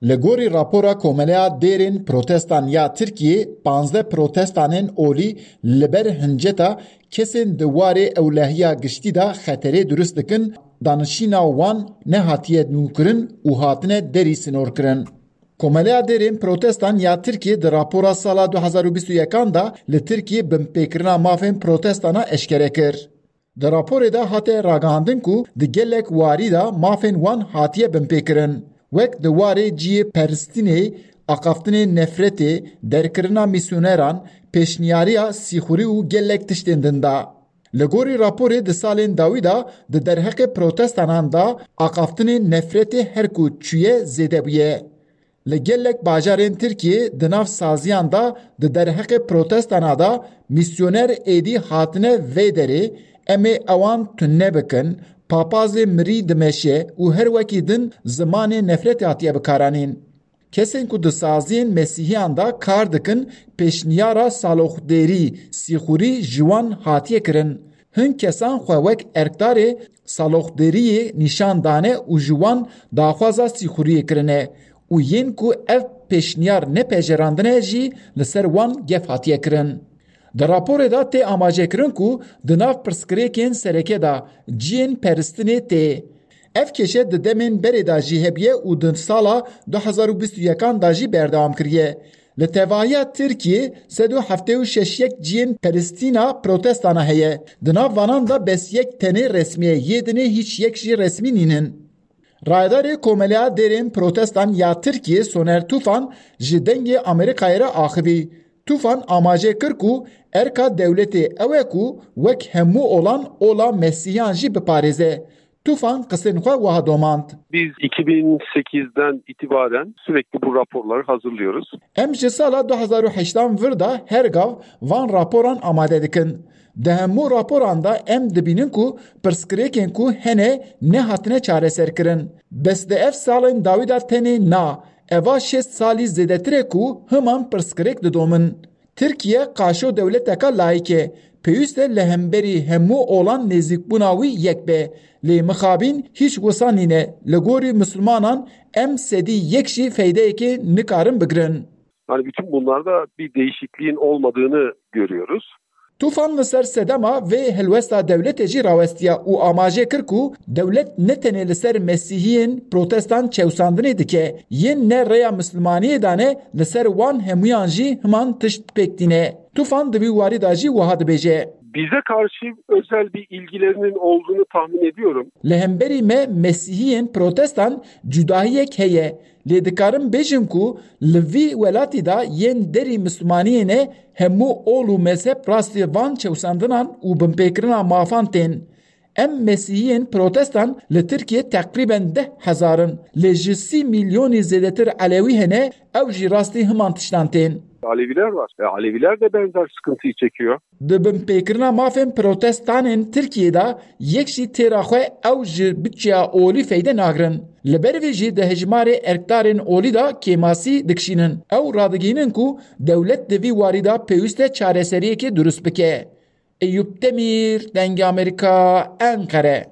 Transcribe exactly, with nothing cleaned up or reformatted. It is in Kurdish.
Li gorî rapora Komeleya Dêrên Protestan ya Tirkiyê, panzdeh protestanên olî li ber hinceta kesên di warê ewlehiya giştî de xeterê dirust dikin, danişîna wan nehatiye nûkirin û hatine derî sinorkirin. Komeleya Dêrên Protestan ya Tirkiyê di rapora sala du hezar û bîst û yekan de li Tirkiyê binpêkirina mafên protestana eşkere kir. Di raporê de hate ragihandin ku di gelek warî de mafên wan hatiye binpêkirin, wek di warê cihê peristînê, axaftinê nefretê, derkirina mîsyoneran, pêşniyariya sîxurî û gelek tiştên din de. Li gorî raporê di salên dawî de di derheqê protestanan de axaftinê nefretê her ku çûye zêde bûye. Li gelek bajarên Tirkiyê di nav saziyan de di derheqê protestana de mîsyoner êdî hatine vê derê, em ê ewan tune bikin, papazê mirî dimeşe û her wekî din zimanê nefretê hatiye bikaranîn. Kesên ku di saziyên mesîhiyan de kar dikin, pêşniyara saloxdêrî, sîxurî ji wan hatiye kirin. Hin kesan xwe wek erkdarê saloxdêriyê nîşan dane û ji wan daxwaza sîxuriyê kirine û yên ku ev pêşniyar nepejirandine jî li ser wan gef hatiye kirin. Di raporê de tê amajekirin ku di nav pirsgirêkên sereke de cihên peristinê tê. Ev kêşe di demên berê de jî hebûye û di sala du hezar û bîst û yekan de jî berdewam kiriye. Li tevahiya Tirkiyê sed û heftê û şeş yek cihên peristîna protestana heye. Di nav vanan de bes yek tenê resmî ye, yê dinê hîç yek jî resmî nînin. Rayedarê Komeleya Dêrên Protestan ya Tirkiyê Soner Tufan ji Dengê Amerîkayê re axivî. Tufan amaje kir ku erka dewletê ew e ku wek hemû olan ola Mesîhiyan jî biparêze. Tufan qisên xwe wiha domand. Biz iki bin sekizden itibaren sürekli bu raporları hazırlıyoruz. Em ji sala du hezar û heştan vir de her gav van raporan amade dikin. Di hemû raporan de em dibînin ku pirsgirêkên ku hene nehatine çareserkirin. Bes di ev salên dawî de tenê na, eva şêst salî zêdetir e ku himan pirsgirêk didomin. Tirkiye qaşo dewleteka layîk e. Pêwîst e li hemberî hemû olan nêzîkbûna wî yek be. Lê mixabîn hîç wisa nîne. Li gorî misilmanan em sedî yek jî feydeyekê nikarin bigirin. Yani bütün bunlarda bir değişikliğin olmadığını görüyoruz. Tufan li ser sedema vê helwesta dewletê jî rawestiya û amaje kir ku dewlet ne tenê li ser mesîhiyên protestan çewsandinê dike, yên ne rêya mislimaniyê dane, li ser wan hemûyan jî himan tişt pêk tîne. Tufan di vî warî de jî wiha dibêje. Bize karşı özel bir ilgilerinin olduğunu tahmin ediyorum. Li hemberî me mesîhiyên protestan cudahiyek heye, lê dikarim bêjim ku li vî welatî de yên derî mislimaniyê ne hemû ol û mezheb rastî van çewsandinan û binpêkirina mafan tên. Em mesîhiyên protestan li Tirkiyê teqrîben deh hezar in, lê ji sî milyonî zêdetir elewî hene, ew jî rastî himan tiştan tên. Aleviler var. E, Aleviler de benzer sıkıntıyı çekiyor. Di binpêkirina mafên protestanên Tirkiyê de yek jî têra xwe ew ji budçeya olî feyde nagrin. Li ber vê jî di hejmarê erkdarên olî de kêmasî dikişînin. Ew radigihînin ku dewlet di vî warî de pêwîst e çareseriyekê durust bike. Eyûp Demîr, Dengê Amerîka, Enqere.